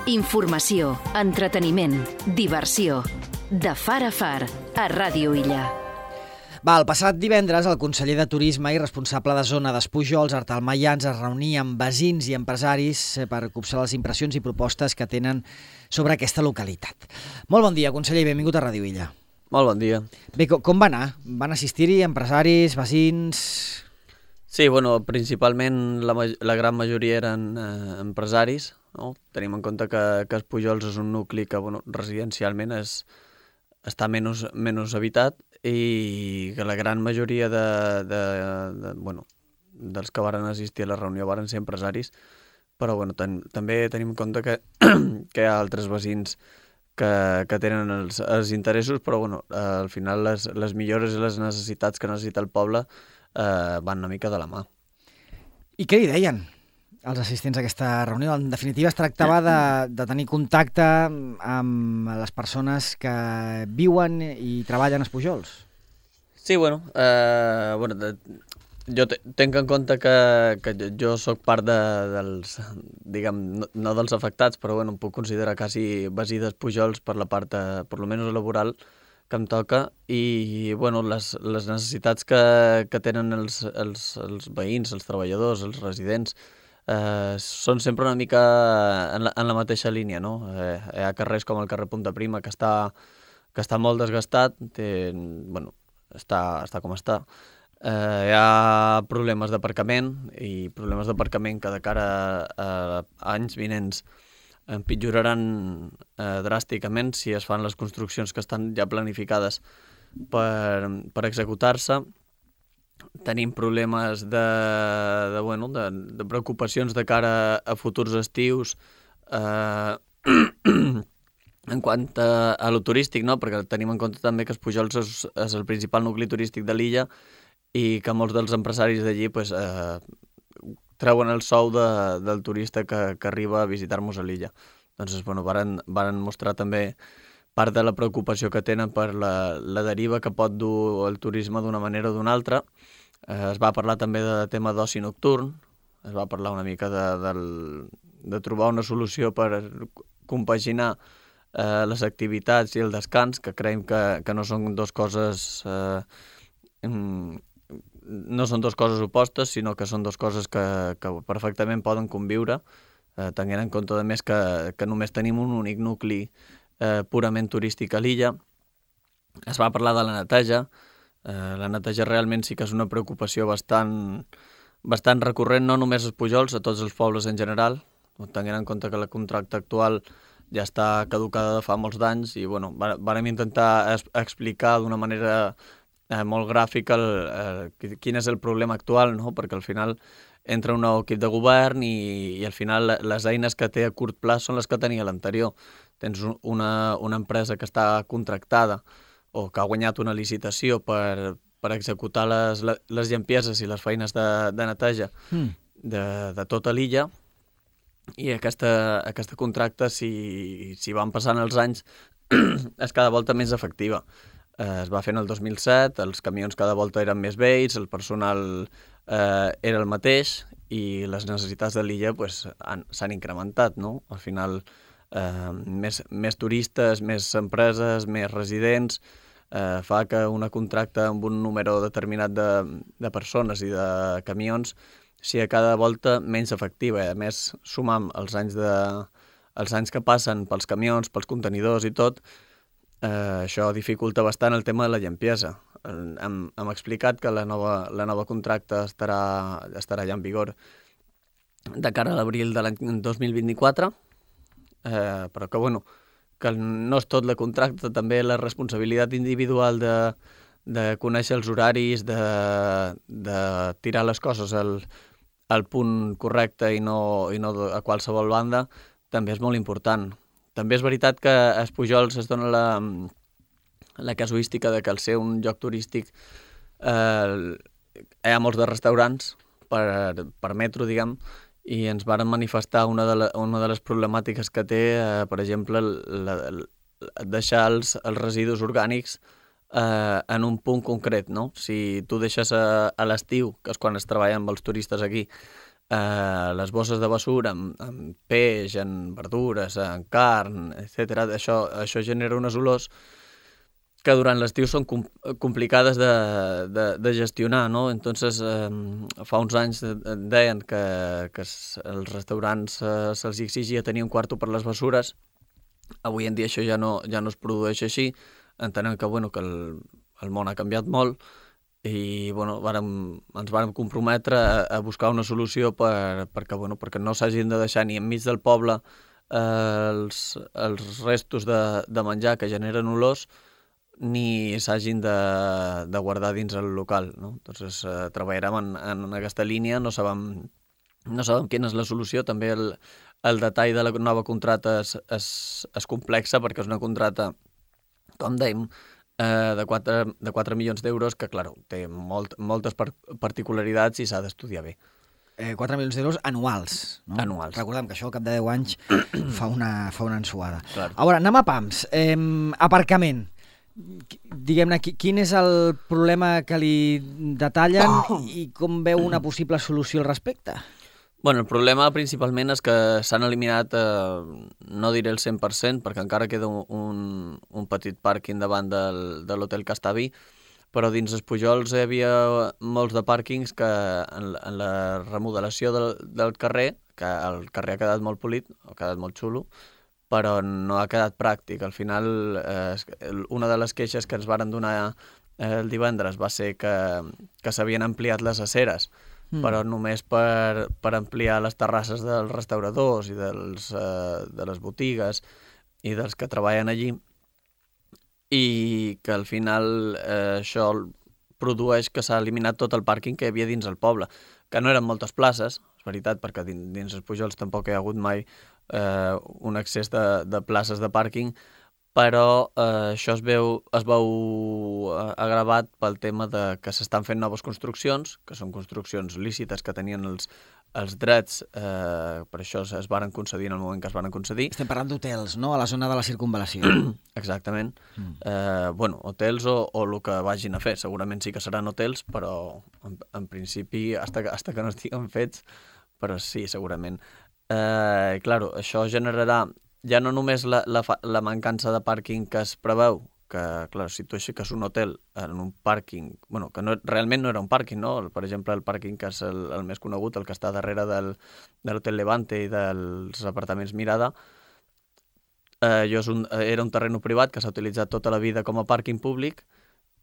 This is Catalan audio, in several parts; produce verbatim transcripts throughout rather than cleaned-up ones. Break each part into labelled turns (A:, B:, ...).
A: Informació, entreteniment, diversió. De far a far, a Ràdio Illa.
B: Va, el passat divendres, el conseller de Turisme i responsable de zona d'Espujols, Artal Mayans, es reunia amb veïns i empresaris per copsar les impressions i propostes que tenen sobre aquesta localitat. Molt bon dia, conseller, i benvingut a Ràdio Illa.
C: Molt bon dia.
B: Bé, com va anar? Van assistir-hi empresaris, veïns?
C: Sí, bueno, principalment la, la gran majoria eren eh, empresaris, no? Tenim en compte que, que Espujols és un nucli que bueno, residencialment és, està menys, menys habitat i que la gran majoria de, de, de, bueno, dels que varen assistir a la reunió varen ser empresaris, però bueno, ten, també tenim en compte que, que hi ha altres veïns que, que tenen els, els interessos, però bueno, al final les, les millores i les necessitats que necessita el poble eh, van una mica de la mà.
B: I què li deien els assistents a aquesta reunió? En definitiva, es tractava de, de tenir contacte amb les persones que viuen i treballen a Espujols.
C: Sí, bueno, eh, bueno de, jo tenc en compte que, que jo sóc part de, dels, diguem, no, no dels afectats, però bueno, em puc considerar quasi veí d'Espujols per la part, de, per lo menys laboral, que em toca, i bueno, les, les necessitats que, que tenen els, els, els veïns, els treballadors, els residents, eh, són sempre una mica en la, en la mateixa línia, no? Eh, hi ha carrers com el carrer Punta Prima, que està, que està molt desgastat, té, bueno, està, està com està. Eh, hi ha problemes d'aparcament, i problemes d'aparcament que de cara a, a anys vinents empitjoraran eh, dràsticament si es fan les construccions que estan ja planificades per, per executar-se. Tenim problemes de, de, bueno, de, de preocupacions de cara a futurs estius eh, en quant a, a lo turístic, no? Perquè tenim en compte també que Espujols és, és el principal nucli turístic de l'illa i que molts dels empresaris d'allí pues, eh, treuen el sou de, del turista que, que arriba a visitar-nos a l'illa. Doncs, bueno, varen, varen mostrar també part de la preocupació que tenen per la, la deriva que pot dur el turisme d'una manera o d'una altra. Eh, es va parlar també de tema d'oci nocturn, es va parlar una mica de, del, de trobar una solució per compaginar eh, les activitats i el descans, que creiem que, que no són dos coses... Eh, no són dues coses opostes, sinó que són dues coses que, que perfectament poden conviure, eh, tenint en compte, a més, que, que només tenim un únic nucli eh, purament turístic a l'illa. Es va parlar de la neteja. Eh, la neteja realment sí que és una preocupació bastant, bastant recurrent, no només a Espujols, a tots els pobles en general, tenint en compte que la contracta actual ja està caducada de fa molts d'anys i bueno, vàrem intentar es, explicar d'una manera Eh, molt gràfic el, eh, quin és el problema actual, no? Perquè al final entra un nou equip de govern i, i al final les eines que té a curt plaç són les que tenia l'anterior. Tens una, una empresa que està contractada o que ha guanyat una licitació per, per executar les, les llampieses i les feines de, de neteja mm. de, de tota l'illa, i aquesta, aquesta contracta, si, si van passant els anys, és cada volta més efectiva. Eh, es va fer en el dos mil set, els camions cada volta eren més vells, el personal eh, era el mateix i les necessitats de l'illa pues, s'han incrementat, no? Al final, eh, més, més turistes, més empreses, més residents, eh, fa que una contracta amb un número determinat de, de persones i de camions sigui cada volta menys efectiva. A més, sumam els anys, de, els anys que passen pels camions, pels contenidors i tot, Eh, això dificulta bastant el tema de la llampiesa. Eh, hem, hem explicat que la nova, la nova contracta estarà, estarà ja en vigor de cara a l'abril de l'any dos mil vint-i-quatre, eh, però que, bueno, que no és tot la contracta, també la responsabilitat individual de, de conèixer els horaris, de, de tirar les coses al, al punt correcte i no, i no a qualsevol banda, també és molt important. També és veritat que a Espujols es dona la, la casuística de que al ser un lloc turístic eh, hi ha molts de restaurants per, per metro, diguem, i ens varen manifestar una de, la, una de les problemàtiques que té, eh, per exemple, la, la, deixar els, els residus orgànics eh, en un punt concret, no? Si tu deixes a, a l'estiu, que és quan es treballa amb els turistes aquí, eh, les bosses de bessura amb, amb peix, en verdures, en carn, etcètera. Això, això genera unes olors que durant l'estiu són com, complicades de, de, de gestionar, no? Entonces, eh, fa uns anys deien que, que els restaurants eh, se'ls exigia tenir un quarto per les bessures. Avui en dia això ja no, ja no es produeix així, entenent que, bueno, que el, el món ha canviat molt i bueno, vàrem, ens vàrem comprometre a, a buscar una solució per, perquè, bueno, perquè no s'hagin de deixar ni enmig del poble eh, els, els restos de, de menjar que generen olors ni s'hagin de, de guardar dins el local, no? Entonces, eh, treballarem en, en aquesta línia, no sabem, no sabem quina és la solució, també el, el detall de la nova contrata és, és, és complexa perquè és una contrata, com dèiem, eh, de, quatre, de quatre milions d'euros que, clar, té molt, moltes par particularitats i s'ha d'estudiar bé.
B: Eh, quatre milions d'euros anuals, no?
C: Anuals.
B: Recordem que això al cap de deu anys fa una, fa una ensuada.
C: Clar.
B: A veure, anem a pams. Eh, aparcament. Diguem-ne, quin és el problema que li detallen i com veu una possible solució al respecte?
C: Bueno, el problema principalment és que s'han eliminat, eh, no diré el cent per cent, perquè encara queda un, un, un petit pàrquing davant del, de l'Hotel Castaví, però dins els Pujols hi havia molts de pàrquings que en, en la remodelació del, del carrer, que el carrer ha quedat molt polit, ha quedat molt xulo, però no ha quedat pràctic. Al final, eh, una de les queixes que ens varen donar eh, el divendres va ser que, que s'havien ampliat les aceres, Mm. però només per, per ampliar les terrasses dels restauradors i dels, eh, de les botigues i dels que treballen allí, i que al final eh, això produeix que s'ha eliminat tot el pàrquing que hi havia dins el poble, que no eren moltes places, és veritat, perquè dins, dins els Pujols tampoc hi ha hagut mai eh, un excés de, de places de pàrquing, però eh, això es veu, es veu agravat pel tema de que s'estan fent noves construccions, que són construccions lícites que tenien els, els drets, eh, per això es, es varen concedir en el moment que es varen concedir.
B: Estem parlant d'hotels, no?, a la zona de la circunvalació.
C: Exactament. Mm. Eh, bueno, hotels o, o el que vagin a fer. Segurament sí que seran hotels, però en, en principi, hasta que, hasta que no estiguen fets, però sí, segurament. Eh, claro, això generarà ja no només la, la, la mancança de pàrquing que es preveu, que, clar, si tu aixeques un hotel en un pàrquing, bueno, que no, realment no era un pàrquing, no? Per exemple, el pàrquing que és el, el més conegut, el que està darrere del, de l'Hotel Levante i dels apartaments Mirada, eh, jo és un, era un terreny privat que s'ha utilitzat tota la vida com a pàrquing públic,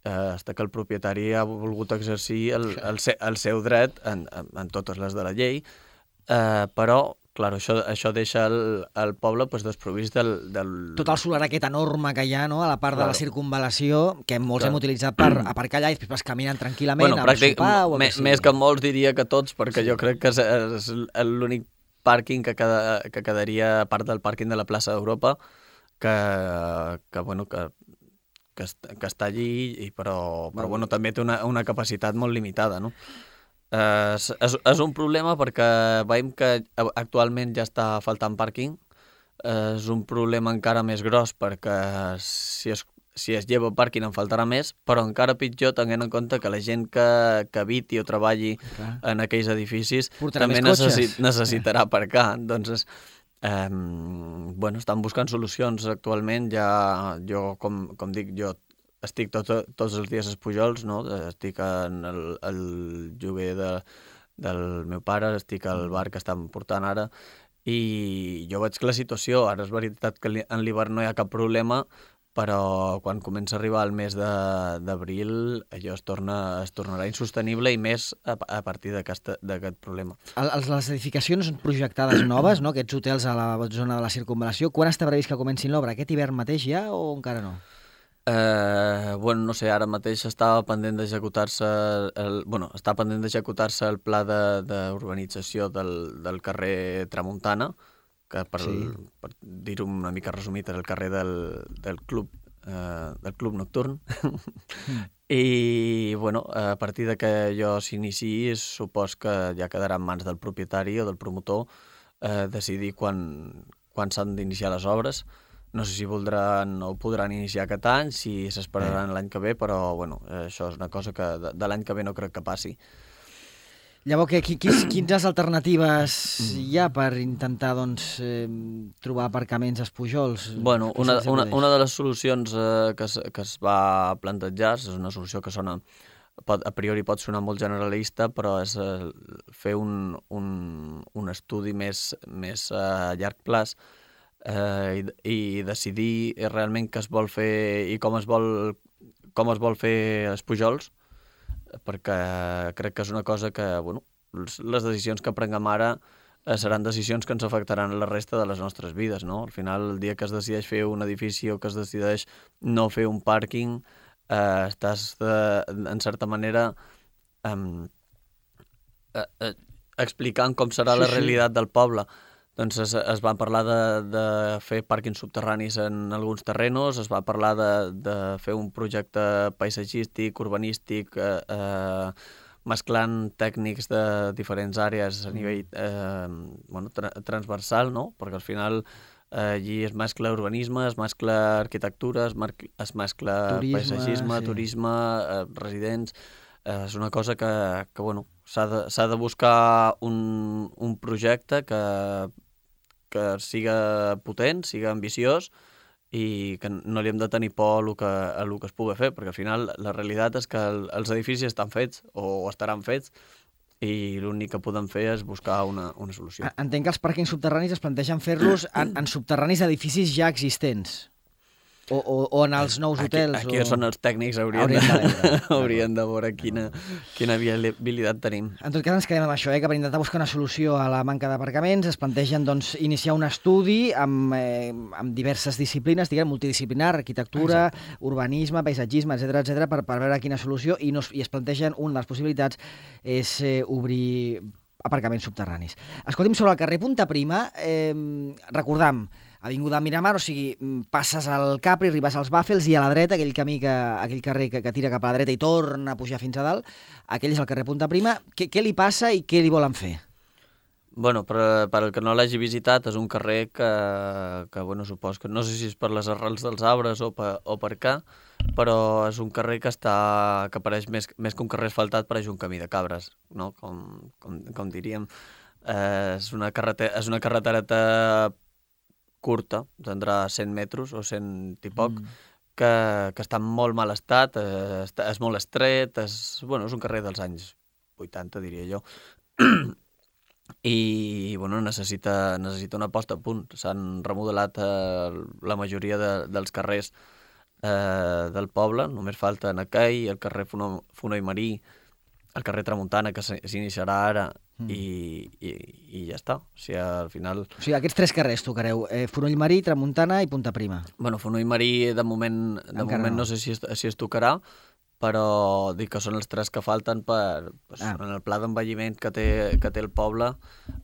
C: eh, fins que el propietari ha volgut exercir el, el, el seu dret en, en, en totes les de la llei, eh, però clar, això, això deixa el, el poble pues, desprovist del, del...
B: Tot el solar aquest enorme que hi ha, no?, a la part claro. de la circunvalació, que molts claro. hem utilitzat per aparcar allà i després caminen tranquil·lament, bueno, a sopar o
C: a que sigui. Més que molts diria que tots, perquè sí. jo crec que és, és l'únic pàrquing que, queda, que quedaria a part del pàrquing de la plaça d'Europa, que, que, bueno, que, que, que està allí, i, però, però bueno, també té una, una capacitat molt limitada, no? Uh, és, és, és un problema perquè veiem que actualment ja està faltant pàrquing. Uh, és un problema encara més gros perquè si es, si es lleva pàrquing en faltarà més, però encara pitjor tenint en compte que la gent que, que habiti o treballi okay. en aquells edificis portarà també necessit, necessitarà sí. aparcar. Doncs, um, bueno, estan buscant solucions actualment. Ja, jo, com, com dic, jo estic tot, tots els dies als Pujols, no? Estic en el, el lloguer de, del meu pare, estic al bar que estan portant ara, i jo veig que la situació, ara és veritat que en l'hivern no hi ha cap problema, però quan comença a arribar el mes d'abril allò es, torna, es tornarà insostenible, i més a, a partir d'aquest problema.
B: El, les edificacions projectades noves, no? Aquests hotels a la zona de la circunvalació, quan està previst que comencin l'obra? Aquest hivern mateix ja o encara no?
C: Eh, bueno, no sé, ara mateix estava pendent d'executar-se el, bueno, està pendent d'executar-se el pla d'urbanització de, del, del carrer Tramuntana, que per, sí. per dir-ho una mica resumit és el carrer del, del club eh, del club nocturn. Mm. I bueno, a partir de que allò s'iniciï, supos que ja quedarà en mans del propietari o del promotor eh, decidir quan, quan s'han d'iniciar les obres. No sé si voldran o podran iniciar aquest any, si s'esperaran l'any que ve, però bueno, això és una cosa que de, de l'any que ve no crec que passi.
B: Llavors, que, quines, quines alternatives hi ha per intentar doncs, eh, trobar aparcaments als Pujols?
C: Bueno, una, una, una de les solucions eh, que, es, que es va plantejar, és una solució que sona, pot, a priori pot sonar molt generalista, però és eh, fer un, un, un estudi més, més a llarg plaç eh, i, i decidir realment què es vol fer i com es vol, com es vol fer els Pujols, perquè crec que és una cosa que, bueno, les decisions que prenguem ara eh, seran decisions que ens afectaran la resta de les nostres vides, no? Al final, el dia que es decideix fer un edifici o que es decideix no fer un pàrquing, eh, estàs, de, en certa manera, eh, eh, eh, explicant com serà sí, la realitat sí. del poble. Doncs es, es va parlar de, de fer pàrquings subterranis en alguns terrenos, es va parlar de, de fer un projecte paisatgístic, urbanístic, eh, eh, mesclant tècnics de diferents àrees a nivell eh, bueno, tra transversal, no? Perquè al final eh, allí es mescla urbanisme, es mescla arquitectura, es, es mescla turisme, paisatgisme, sí. turisme, eh, residents... Eh, és una cosa que, que bueno, s'ha de, s'ha de buscar un, un projecte que que siga potent, siga ambiciós i que no li hem de tenir por a el que, a el que es pugui fer, perquè al final la realitat és que el, els edificis estan fets o estaran fets i l'únic que podem fer és buscar una, una solució.
B: Entenc que els pàrquings subterranis es plantegen fer-los en, en subterranis d'edificis ja existents. O, o, o en els nous hotels.
C: Aquí, aquí
B: o...
C: són els tècnics, haurien, haurien, de, de, haurien de veure quina, quina viabilitat tenim.
B: En tot cas ens quedem amb això, eh, que per intentar buscar una solució a la manca d'aparcaments es plantegen doncs, iniciar un estudi amb, eh, amb diverses disciplines, diguem, multidisciplinar, arquitectura, Exacte. urbanisme, paisatgisme, etcètera, etcètera, per, per veure quina solució, i, no, i es plantegen una de les possibilitats és eh, obrir aparcaments subterranis. Escolti'm, sobre el carrer Punta Prima, eh, recordam, Avinguda Miramar, o sigui, passes al Capri, arribes als Bàfels i a la dreta, aquell camí, que, aquell carrer que, que tira cap a la dreta i torna a pujar fins a dalt, aquell és el carrer Punta Prima. Què, què li passa i què li volen fer?
C: Bueno, per, per el que no l'hagi visitat, és un carrer que, que bueno, supos que no sé si és per les arrels dels arbres o per, o per què, però és un carrer que està que pareix més, més que un carrer asfaltat, pareix un camí de cabres, no? Com, com, com diríem. Eh, és una carretera, és una carretereta curta, tindrà cent metres o cent i poc, mm. que, que està en molt mal estat, eh, està, és molt estret, és, bueno, és un carrer dels anys vuitanta, diria jo, i bueno, necessita, necessita una posta a punt. S'han remodelat eh, la majoria de, dels carrers eh, del poble, només falten aquell, el carrer Fono, Fono i Marí, el carrer Tramuntana, que s'iniciarà ara, mm. i, i, i ja està. O sigui, al final...
B: O sigui, aquests tres carrers tocareu, eh, Fonoll Marí, Tramuntana i Punta Prima.
C: Bueno, Fono i Marí, de moment, de moment no. no sé si es, si es tocarà, però dic que són els tres que falten per... Pues, ah. En el pla d'envelliment que, té, que té el poble,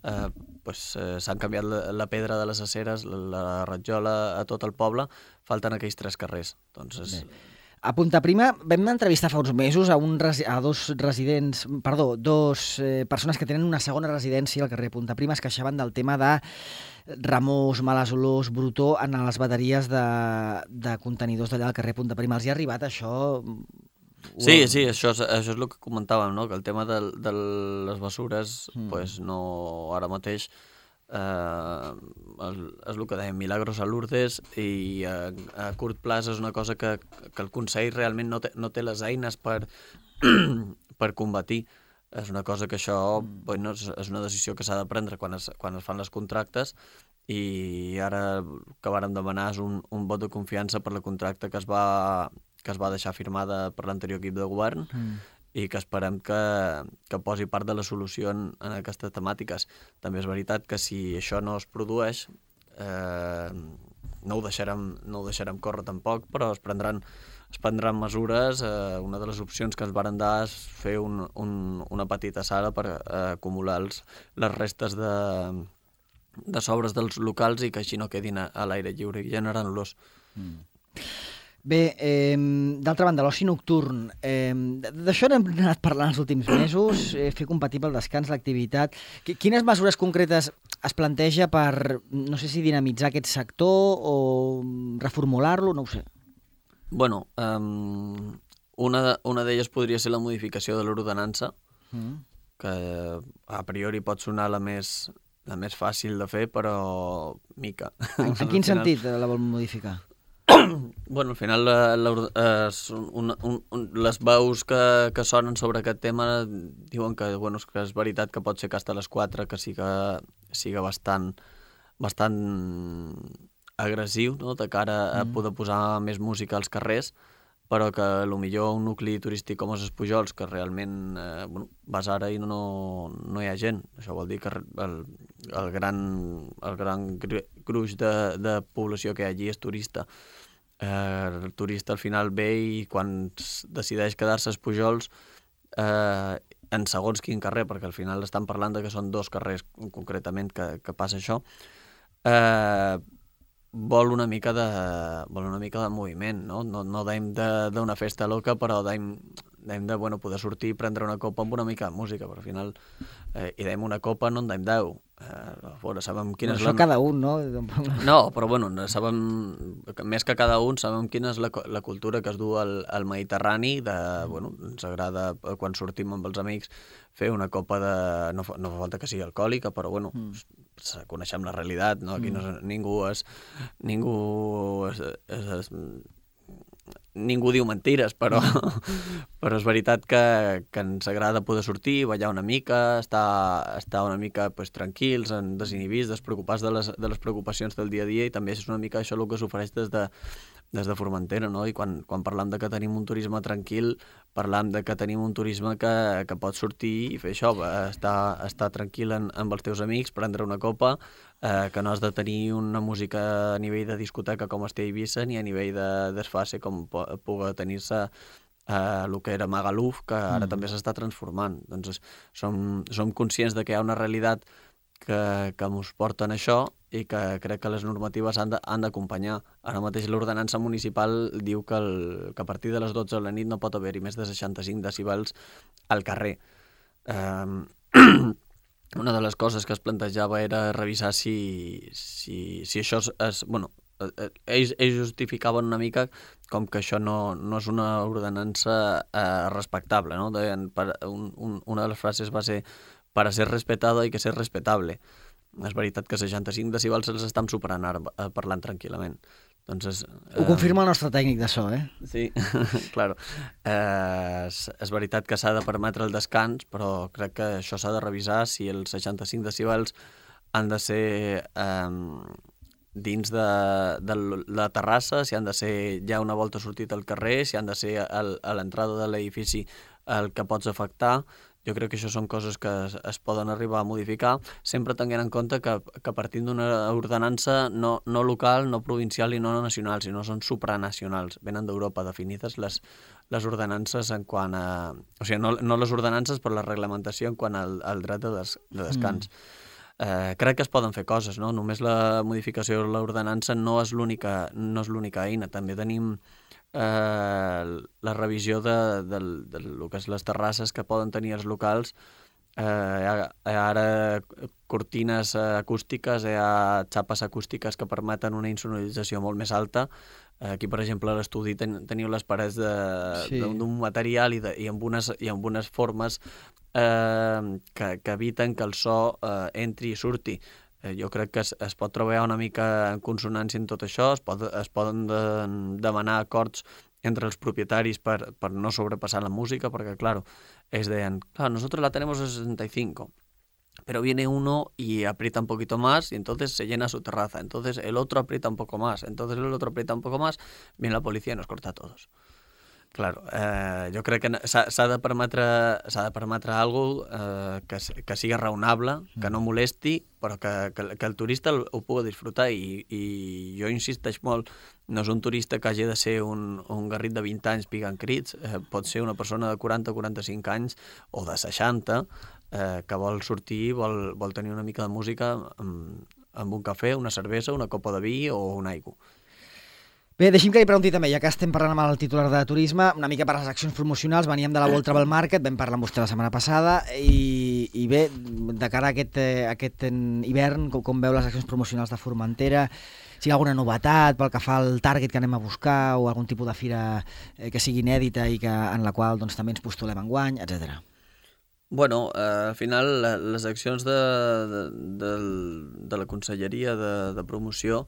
C: eh, pues, eh, s'han canviat la, la pedra de les aceres, la, la ratjola a tot el poble, falten aquells tres carrers. Doncs és...
B: Bé. A Punta Prima vam entrevistar fa uns mesos a, un, a dos residents, perdó, dos eh, persones que tenen una segona residència al carrer Punta Prima, es queixaven del tema de remors, males olors, brutó en les bateries de, de contenidors d'allà al carrer Punta Prima. Els hi ha arribat això?
C: Sí, sí, això és, això és el que comentàvem, no? Que el tema de, de les bessures, mm. pues no, ara mateix, eh, és el que dèiem, Milagros a Lourdes, i a, a curt plaç és una cosa que, que el Consell realment no té, no té les eines per, per combatir. És una cosa que això mm. bueno, és, és una decisió que s'ha de prendre quan es, quan es fan les contractes, i ara el que vàrem demanar és un, un vot de confiança per la contracta que es va, que es va deixar firmada per l'anterior equip de govern, mm. i que esperem que, que posi part de la solució en, en aquestes temàtiques. També és veritat que si això no es produeix, eh, no, ho deixarem, no ho deixarem córrer tampoc, però es prendran, es prendran mesures. Eh, una de les opcions que ens varen dar és fer un, un, una petita sala per eh, acumular els, les restes de, de sobres dels locals i que així no quedin a, a l'aire lliure i generant olors. Mm.
B: Bé, eh, d'altra banda, l'oci nocturn, eh, d'això n'hem anat parlant els últims mesos, eh, fer compatible el descans, l'activitat. Quines mesures concretes es planteja per, no sé si dinamitzar aquest sector o reformular-lo, no ho sé?
C: Bueno, um, una, una d'elles podria ser la modificació de l'ordenança, mm. que a priori pot sonar la més, la més fàcil de fer, però mica.
B: En, en quin sentit la vol modificar?
C: Bueno, al final la, la, eh, un, un, un, les veus que, que sonen sobre aquest tema diuen que, bueno, que és veritat que pot ser que hasta les quatre que siga, siga bastant, bastant agressiu, no?, de cara a poder posar més música als carrers, però que potser un nucli turístic com els Pujols, que realment eh, bueno, vas ara i no, no hi ha gent. Això vol dir que el, el gran, el gran gruix de, de població que hi ha allí és turista. Eh, el turista al final ve i quan decideix quedar-se als Pujols eh, en segons quin carrer, perquè al final estan parlant de que són dos carrers concretament que, que passa això, eh, vol una mica de, vol una mica de moviment, no? No, no deim d'una festa loca, però deim, deim de bueno, poder sortir i prendre una copa amb una mica de música, però al final eh, hi deim una copa, no en deim deu. Eh, a veure, sabem quina
B: Això
C: és la...
B: cada un, no?
C: No, però bueno, sabem, més que cada un, sabem quina és la, la cultura que es du al, al Mediterrani, de, bueno, ens agrada quan sortim amb els amics fer una copa de... No fa, no fa falta que sigui alcohòlica, però bueno, mm. coneixem la realitat, no? Aquí no és, ningú és... Ningú és, és, és ningú diu mentires, però, però és veritat que, que ens agrada poder sortir, ballar una mica, estar, estar una mica pues, tranquils, desinhibits, despreocupats de les, de les preocupacions del dia a dia, i també és una mica això el que s'ofereix des de, des de Formentera, no? I quan, quan parlam de que tenim un turisme tranquil, parlam de que tenim un turisme que, que pot sortir i fer això, estar, estar tranquil en, amb els teus amics, prendre una copa, eh, que no has de tenir una música a nivell de discoteca com es té a Eivissa, ni a nivell de desfase com pugui tenir-se eh, el que era Magaluf, que ara mm. també s'està transformant. Doncs som, som conscients de que hi ha una realitat que, que ens porten això i que crec que les normatives han d'acompanyar. Ara mateix l'ordenança municipal diu que, el, que a partir de les dotze de la nit no pot haver-hi més de seixanta-cinc decibels al carrer. Um, una de les coses que es plantejava era revisar si, si, si això és... és bueno, ells, ells justificaven una mica com que això no, no és una ordenança eh, respectable, no? Deien, per, un, un, una de les frases va ser «para ser respetado hay que ser respetable». És veritat que seixanta-cinc decibels se'ls estan superant ara parlant tranquil·lament. Doncs és,
B: Ho confirma el nostre tècnic de so, eh?
C: Sí, claro. Eh, és, és veritat que s'ha de permetre el descans, però crec que això s'ha de revisar si els seixanta-cinc decibels han de ser eh, dins de, de la terrassa, si han de ser ja una volta sortit al carrer, si han de ser al, a l'entrada de l'edifici el que pots afectar. Jo crec que això són coses que es, es poden arribar a modificar, sempre tenint en compte que, que partint d'una ordenança no, no local, no provincial i no nacional, sinó són supranacionals. Venen d'Europa definides les, les ordenances en quant a... O sigui, no, no les ordenances, però la reglamentació en quant al, al dret de, des, de descans. Mm. Eh, crec que es poden fer coses, no? Només la modificació de l'ordenança no és l'única no és l'única eina. També tenim eh, la revisió de, de, de, de lo que és les terrasses que poden tenir els locals. Eh, hi ha, hi ha ara cortines acústiques, hi ha xapes acústiques que permeten una insonorització molt més alta. Aquí, per exemple, a l'estudi ten, teniu les parets d'un sí. material i, de, i, amb unes, i amb unes formes eh, que, que eviten que el so eh, entri i surti. Eh, jo crec que es, es pot treballar una mica en consonància en tot això, es, pot, es poden de, demanar acords entre els propietaris per, per no sobrepassar la música, perquè, claro, ells deien, claro, nosotros la tenemos a sesenta y cinco, pero viene uno y aprieta un poquito más y entonces se llena su terraza, entonces el otro aprieta un poco más, entonces el otro aprieta un poco más, viene la policía y nos corta a todos. Claro, eh, jo crec que s'ha de permetre s'ha de permetre alguna cosa eh, que, que sigui raonable, que no molesti, però que, que, que el turista ho pugui disfrutar, i, i jo insisteix molt, no és un turista que hagi de ser un, un garrit de vint anys picant crits, eh, pot ser una persona de quaranta o quaranta-cinc anys o de seixanta eh, que vol sortir, vol, vol tenir una mica de música amb, amb un cafè, una cervesa, una copa de vi o una aigua.
B: Bé, deixi'm que li pregunti també, ja que estem parlant amb el titular de turisme, una mica per les accions promocionals, veníem de la World Travel Market, vam parlar amb vostè la setmana passada, i, i bé, de cara a aquest, a aquest hivern, com, com veu les accions promocionals de Formentera, si hi ha alguna novetat pel que fa al target que anem a buscar, o algun tipus de fira que sigui inèdita i que, en la qual doncs, també ens postulem enguany, etcètera.
C: Bueno, eh, al final la, les accions de, de, de, de la Conselleria de, de Promoció,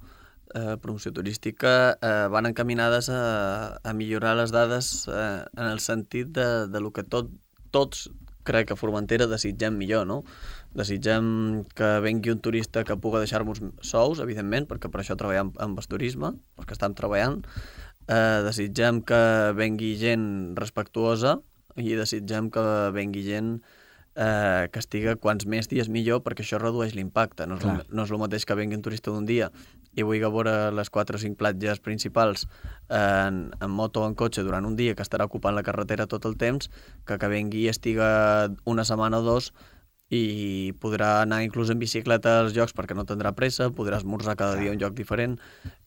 C: eh, promoció turística, eh, van encaminades a, a millorar les dades eh, en el sentit de, de lo que tot, tots, crec que a Formentera desitgem millor, no? Desitgem que vengui un turista que puga deixar-nos sous, evidentment, perquè per això treballem amb el turisme, perquè estem treballant. Eh, desitgem que vengui gent respectuosa, i desitgem que vengui gent eh, que estigui quants més dies millor, perquè això redueix l'impacte. No és, el, no és el mateix que vengui un turista d'un dia i vulgui veure les quatre o cinc platges principals en, en moto o en cotxe durant un dia, que estarà ocupant la carretera tot el temps, que que vengui i estigui una setmana o dos i podrà anar inclús en bicicleta als llocs perquè no tindrà pressa, podrà esmorzar cada dia a un lloc diferent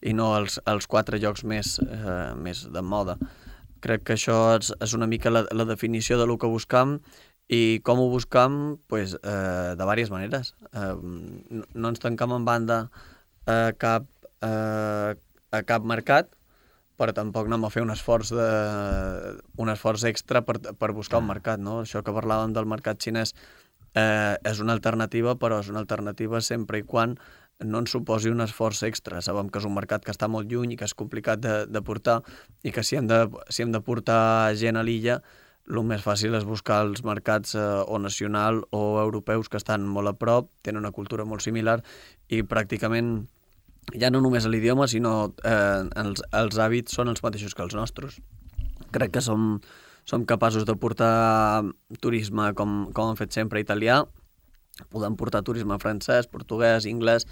C: i no als, als quatre llocs més, eh, més de moda. Crec que això és, és una mica la, la definició de lo que buscam i com ho buscam, pues, eh, de diverses maneres. Eh, no, no ens tancam en banda a cap, eh, a cap mercat, però tampoc anem a fer un esforç, de, un esforç extra per, per buscar un mercat. No? Això que parlàvem del mercat xinès eh, és una alternativa, però és una alternativa sempre i quan no ens suposi un esforç extra. Sabem que és un mercat que està molt lluny i que és complicat de, de portar i que si hem de, si hem de portar gent a l'illa, el més fàcil és buscar els mercats eh, o nacional o europeus que estan molt a prop, tenen una cultura molt similar i pràcticament ja no només l'idioma, sinó eh, els, els hàbits són els mateixos que els nostres. Crec que som, som capaços de portar turisme com, com hem fet sempre italià, podem portar turisme francès, portuguès, anglès,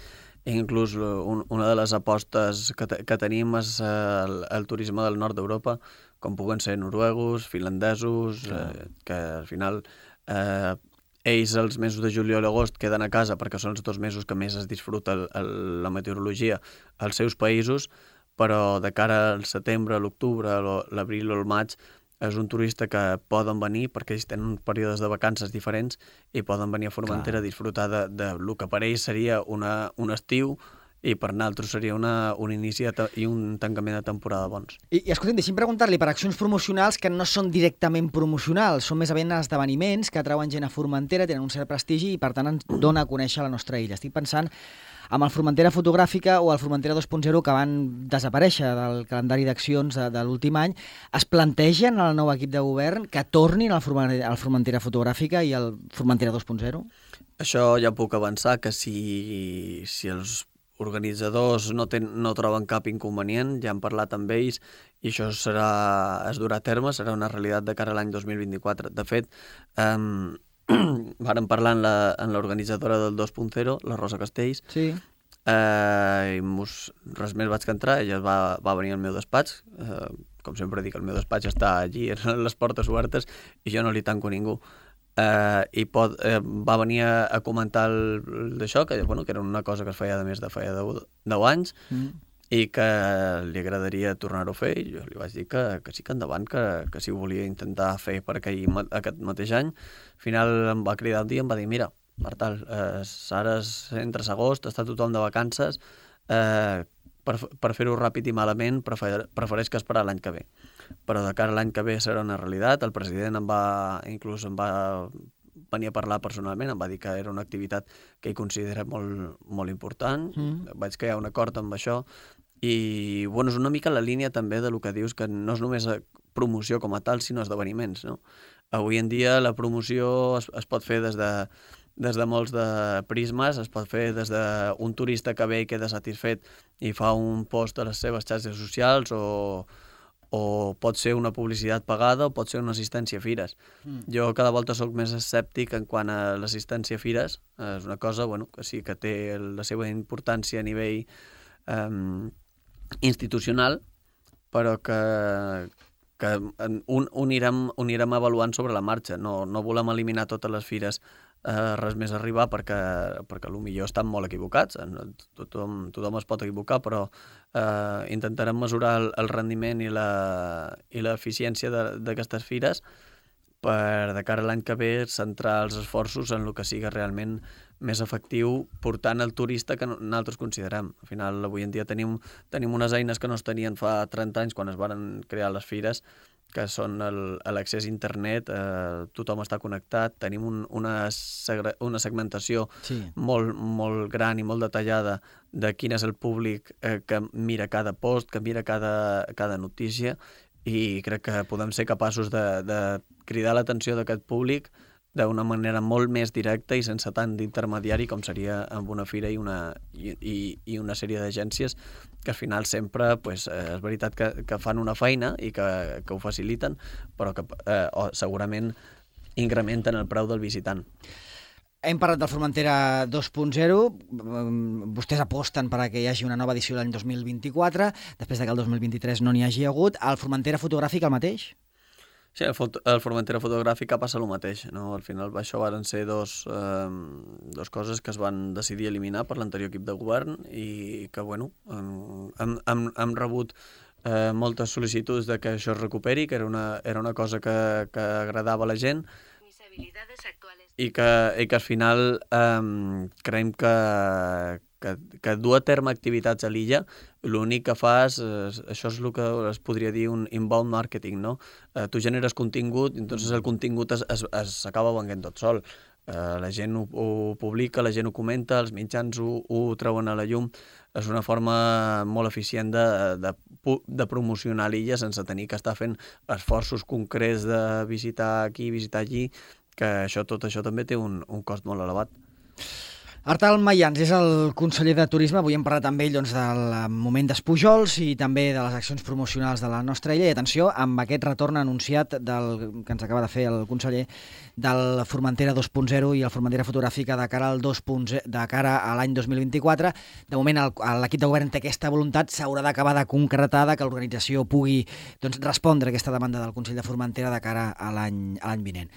C: i inclús un, una de les apostes que, te, que tenim és eh, el, el turisme del nord d'Europa, com puguen ser noruegos, finlandesos, eh, que al final eh, ells els mesos de juliol i agost queden a casa perquè són els dos mesos que més es disfruta el, el, la meteorologia als seus països, però de cara al setembre, l'octubre, l'abril o el maig, és un turista que poden venir perquè ells tenen períodes de vacances diferents i poden venir a Formentera a disfrutar de, de lo que per ells seria una, un estiu i per nosaltres seria una, un inici i un tancament de temporada bons.
B: I, i escolta'm, deixi'm preguntar-li per accions promocionals que no són directament promocionals, són més aviat esdeveniments que atrauen gent a Formentera, tenen un cert prestigi i per tant ens dona a conèixer la nostra illa. Estic pensant amb el Formentera Fotogràfica o el Formentera dos punt zero que van desaparèixer del calendari d'accions de, de l'últim any. Es plantegen al nou equip de govern que tornin al Formentera, al Formentera Fotogràfica i al Formentera dos punt zero?
C: Això ja puc avançar, que si, si els organitzadors no, ten, no troben cap inconvenient, ja hem parlat amb ells i això serà, es durà a terme, serà una realitat de cara a l'any dos mil vint-i-quatre. De fet, eh, vàrem parlar en l'organitzadora del dos punt zero, la Rosa Castells,
B: sí.
C: eh, i mos, res més vaig que entrar, ella va, va venir al meu despatx, eh, com sempre dic, el meu despatx està allí, les portes obertes, i jo no li tanco ningú. Eh, i pot, eh, va venir a, a comentar d'això, que, bueno, que era una cosa que es feia de més de feia deu anys, mm. i que li agradaria tornar-ho a fer, i jo li vaig dir que, que sí que endavant, que, que si ho volia intentar fer per aquell, aquest mateix any. Al final em va cridar un dia i em va dir, mira, Martal, eh, ara entre agost, està tothom de vacances, eh, per, per fer-ho ràpid i malament prefer, prefereix que esperar l'any que ve. Però de cara a l'any que ve serà una realitat. El president em va, inclús em va venir a parlar personalment, em va dir que era una activitat que ell considera molt, molt important. Mm. Vaig que hi ha un acord amb això. I bueno, és una mica la línia també de lo que dius, que no és només promoció com a tal, sinó esdeveniments, no? Avui en dia la promoció es, es pot fer des de, des de molts de prismes, es pot fer des d'un turista que ve i queda satisfet i fa un post a les seves xarxes socials, o o pot ser una publicitat pagada o pot ser una assistència a fires. Mm. Jo cada volta sóc més escèptic en quant a l'assistència a fires. És una cosa, bueno, que sí que té la seva importància a nivell um, institucional, però que, que un, un, irem, un irem avaluant sobre la marxa. No, no volem eliminar totes les fires eh, res més arribar perquè, perquè potser estan molt equivocats. Tothom, tothom es pot equivocar, però eh, intentarem mesurar el, el rendiment i l'eficiència d'aquestes fires per, de cara a l'any que ve, centrar els esforços en el que sigui realment més efectiu, portant el turista que nosaltres considerem. Al final, avui en dia tenim, tenim unes eines que no es tenien fa trenta anys quan es van crear les fires, que són l'accés a internet, eh, tothom està connectat, tenim un, una, una segmentació sí. molt, molt gran i molt detallada de quin és el públic eh, que mira cada post, que mira cada, cada notícia, i crec que podem ser capaços de, de cridar l'atenció d'aquest públic d'una manera molt més directa i sense tant d'intermediari com seria amb una fira i una, i, i, i una sèrie d'agències que al final sempre, pues, eh, és veritat que, que fan una feina i que, que ho faciliten, però que eh, o, segurament incrementen el preu del visitant.
B: Hem parlat del Formentera dos punt zero, vostès aposten perquè hi hagi una nova edició l'any dos mil vint-i-quatre, després que el dos mil vint-i-tres no n'hi hagi hagut. El Formentera fotogràfic el mateix?
C: Sí, el, fot el Formentera fotogràfic passa el mateix, no? Al final això van ser dos, eh, dos coses que es van decidir eliminar per l'anterior equip de govern i que, bueno, hem, hem, hem rebut eh, moltes sol·licituds de que això es recuperi, que era una, era una cosa que, que agradava a la gent, i que, i que al final eh, creiem que, que, que dur a terme activitats a l'illa, l'únic que fas, és, això és el que es podria dir un inbound marketing, no? Eh, tu generes contingut, i entonces el contingut s'acaba venent tot sol. Eh, la gent ho, ho publica, la gent ho comenta, els mitjans ho, ho treuen a la llum. És una forma molt eficient de, de, de promocionar l'illa sense tenir que estar fent esforços concrets de visitar aquí, visitar allí, que això, tot això també té un, un cost molt elevat.
B: Artal Mayans és el conseller de Turisme. Avui hem parlat amb ell doncs, del moment d'Espujols i també de les accions promocionals de la nostra illa. I atenció, amb aquest retorn anunciat del, que ens acaba de fer el conseller del Formentera dos punt zero i el Formentera fotogràfica de cara al dos punt zero, de cara a l'any dos mil vint-i-quatre. De moment l'equip de govern té aquesta voluntat, s'haurà d'acabar de concretar que l'organització pugui doncs, respondre a aquesta demanda del Consell de Formentera de cara a l'any vinent.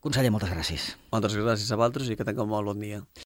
B: Conseller, moltes gràcies.
C: Moltes gràcies a vosaltres i que tingueu molt bon dia.